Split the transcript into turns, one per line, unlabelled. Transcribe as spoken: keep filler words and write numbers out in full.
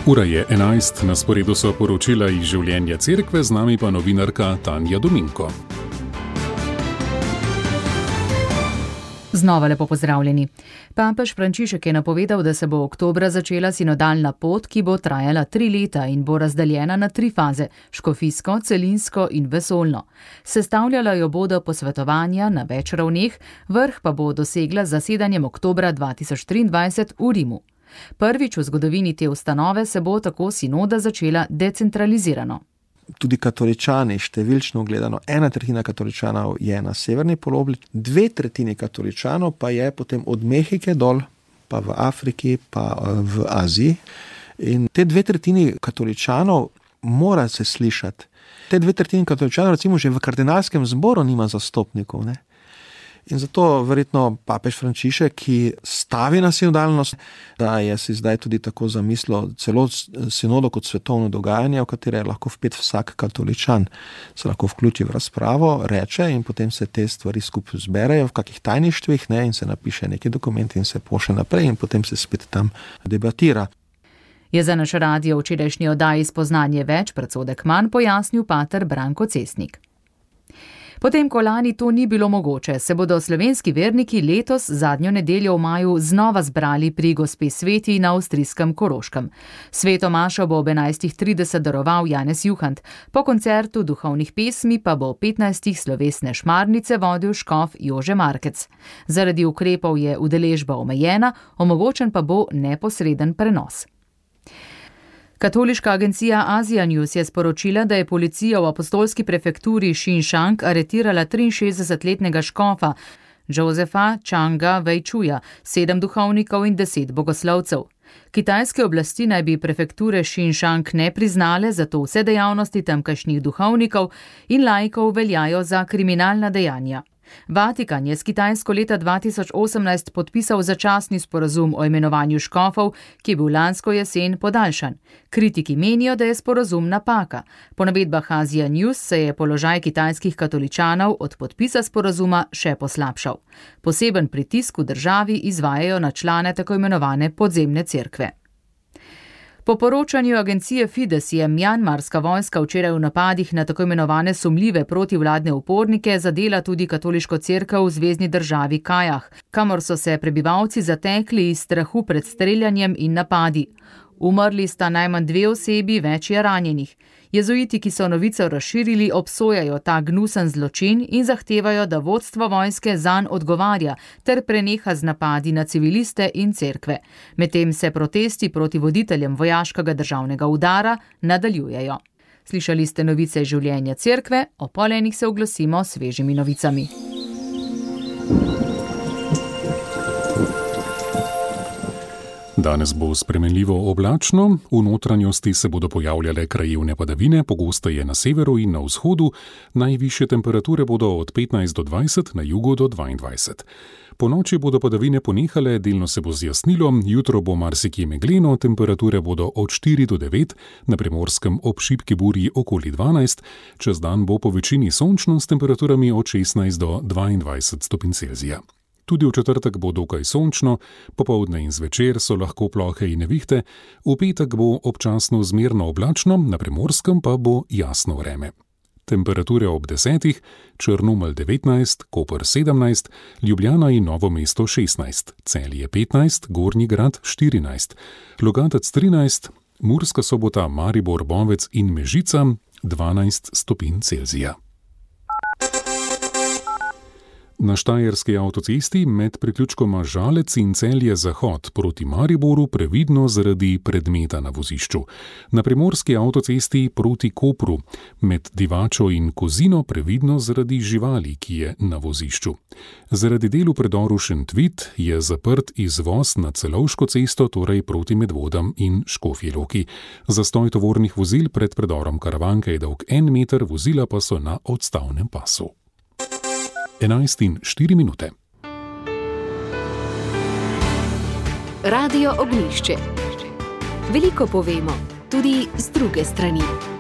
Ura je enajst, na sporedu so poročila iz življenja cerkve, z nami pa novinarka Tanja Dominko.
Znova lepo pozdravljeni. Papež Frančišek je napovedal, da se bo oktobra začela sinodalna pot, ki bo trajala tri leta in bo razdeljena na tri faze: škofijsko, celinsko in vesoljno. Sestavljala jo bodo posvetovanja na več ravneh, vrh pa bo dosegla z zasedanjem oktobra dva tisoč triindvajset v Rimu. Prvič v zgodovini te ustanove se bo tako sinoda začela decentralizirano.
Tudi katoličani, številčno gledano, ena tretjina katoličanov je na severni polobli, dve tretjini katoličanov pa je potem od Mehike dol, pa v Afriki, pa v Aziji. In te dve tretjini katoličanov mora se slišati. Te dve tretjini katoličanov recimo že v kardinalskem zboru nima zastopnikov, ne? In zato verjetno papež Frančišek, ki stavi na sinodalnost, da je si zdaj tudi tako zamislil celo sinodo kot svetovno dogajanje, v katere je lahko vpet vsak katoličan, se lahko vključi v razpravo, reče in potem se te stvari skupaj zberejo v kakih tajništvih, ne, in se napiše neki dokument in se pošlje naprej in potem se spet tam debatira.
Je za naš radio včerajšnji oddaji Spoznanje več, predsodek manj, pojasnil pater Branko Cesnik. Potem, ko lani to ni bilo mogoče, se bodo slovenski verniki letos zadnjo nedeljo v maju znova zbrali pri Gospe Sveti na avstrijskem Koroškem. Sveto mašo bo ob enajstih trideset daroval Janez Juhant, po koncertu duhovnih pesmi pa bo petnajstih slovesne šmarnice vodil škof Jože Markec. Zaradi ukrepov je udeležba omejena, omogočen pa bo neposreden prenos. Katoliška agencija Asia News je sporočila, da je policija v apostolski prefekturi Xinjiang aretirala triinšestdesetletnega škofa Josefa Changa Vejčuja, sedem duhovnikov in deset bogoslovcev. Kitajske oblasti naj bi prefekture Xinjiang ne priznale, zato vse dejavnosti tamkajšnjih duhovnikov in laikov veljajo za kriminalna dejanja. Vatikan je s Kitajsko leta dva tisoč osemnajst podpisal začasni sporazum o imenovanju škofov, ki je bil lansko jesen podaljšan. Kritiki menijo, da je sporazum napaka. Po navedbah Asia News se je položaj kitajskih katoličanov od podpisa sporazuma še poslabšal. Poseben pritisk v državi izvajajo na člane tako imenovane podzemne cerkve. Po poročanju agencije Fides je mjanmarska vojska včeraj v napadih na tako imenovane sumljive protivladne upornike zadela tudi katoliško cerkev v zvezni državi Kajah, kamor so se prebivalci zatekli iz strahu pred streljanjem in napadi. Umrli sta najmanj dve osebi, več je ranjenih. Jezuiti, ki so novico razširili, obsojajo ta gnusen zločin in zahtevajo, da vodstvo vojske zanj odgovarja ter preneha z napadi na civiliste in cerkve. Medtem se protesti proti voditeljem vojaškega državnega udara nadaljujejo. Slišali ste novice iz življenja cerkve, o pol enih se oglasimo s svežimi novicami.
Danes bo spremenljivo oblačno, v notranjosti se bodo pojavljale krajevne padavine, pogosteje na severu in na vzhodu, najvišje temperature bodo od petnajst do dvajset, na jugu do dvaindvajset. Po noči bodo padavine ponehale, delno se bo zjasnilo, jutro bo marsikje megleno, temperature bodo od štiri do devet, na Primorskem ob šibki burji okoli dvanajst, čez dan bo po večini sončno s temperaturami od šestnajst do dvaindvajset stopinj Celzija. Tudi v četrtek bo dokaj sončno, popoldne in zvečer so lahko plohe in nevihte, v petek bo občasno zmerno oblačno, na Primorskem pa bo jasno vreme. Temperature ob desetih, Črnomelj devetnajst, Koper sedemnajst, Ljubljana in Novo mesto šestnajst, Celje petnajst, Gornji Grad štirinajst, Logatec trinajst, Murska Sobota, Maribor, Bovec in Mežica dvanajst stopinj Celzija. Na štajerski avtocesti med priključkoma Žalec in Celje Zahod proti Mariboru previdno zaradi predmeta na vozišču. Na primorski avtocesti proti Kopru med Divačo in Kozino previdno zaradi živali, ki je na vozišču. Zaradi del v predoru Šentvit je zaprt izvoz na Celovško cesto, torej proti Medvodam in Škofji Loki. Zastoj tovornih vozil pred predorom Karavanke je dolg en meter, vozila pa so na odstavnem pasu. enajst in štiri minute.
Radio Ognjišče. Veliko povemo, tudi z druge strani.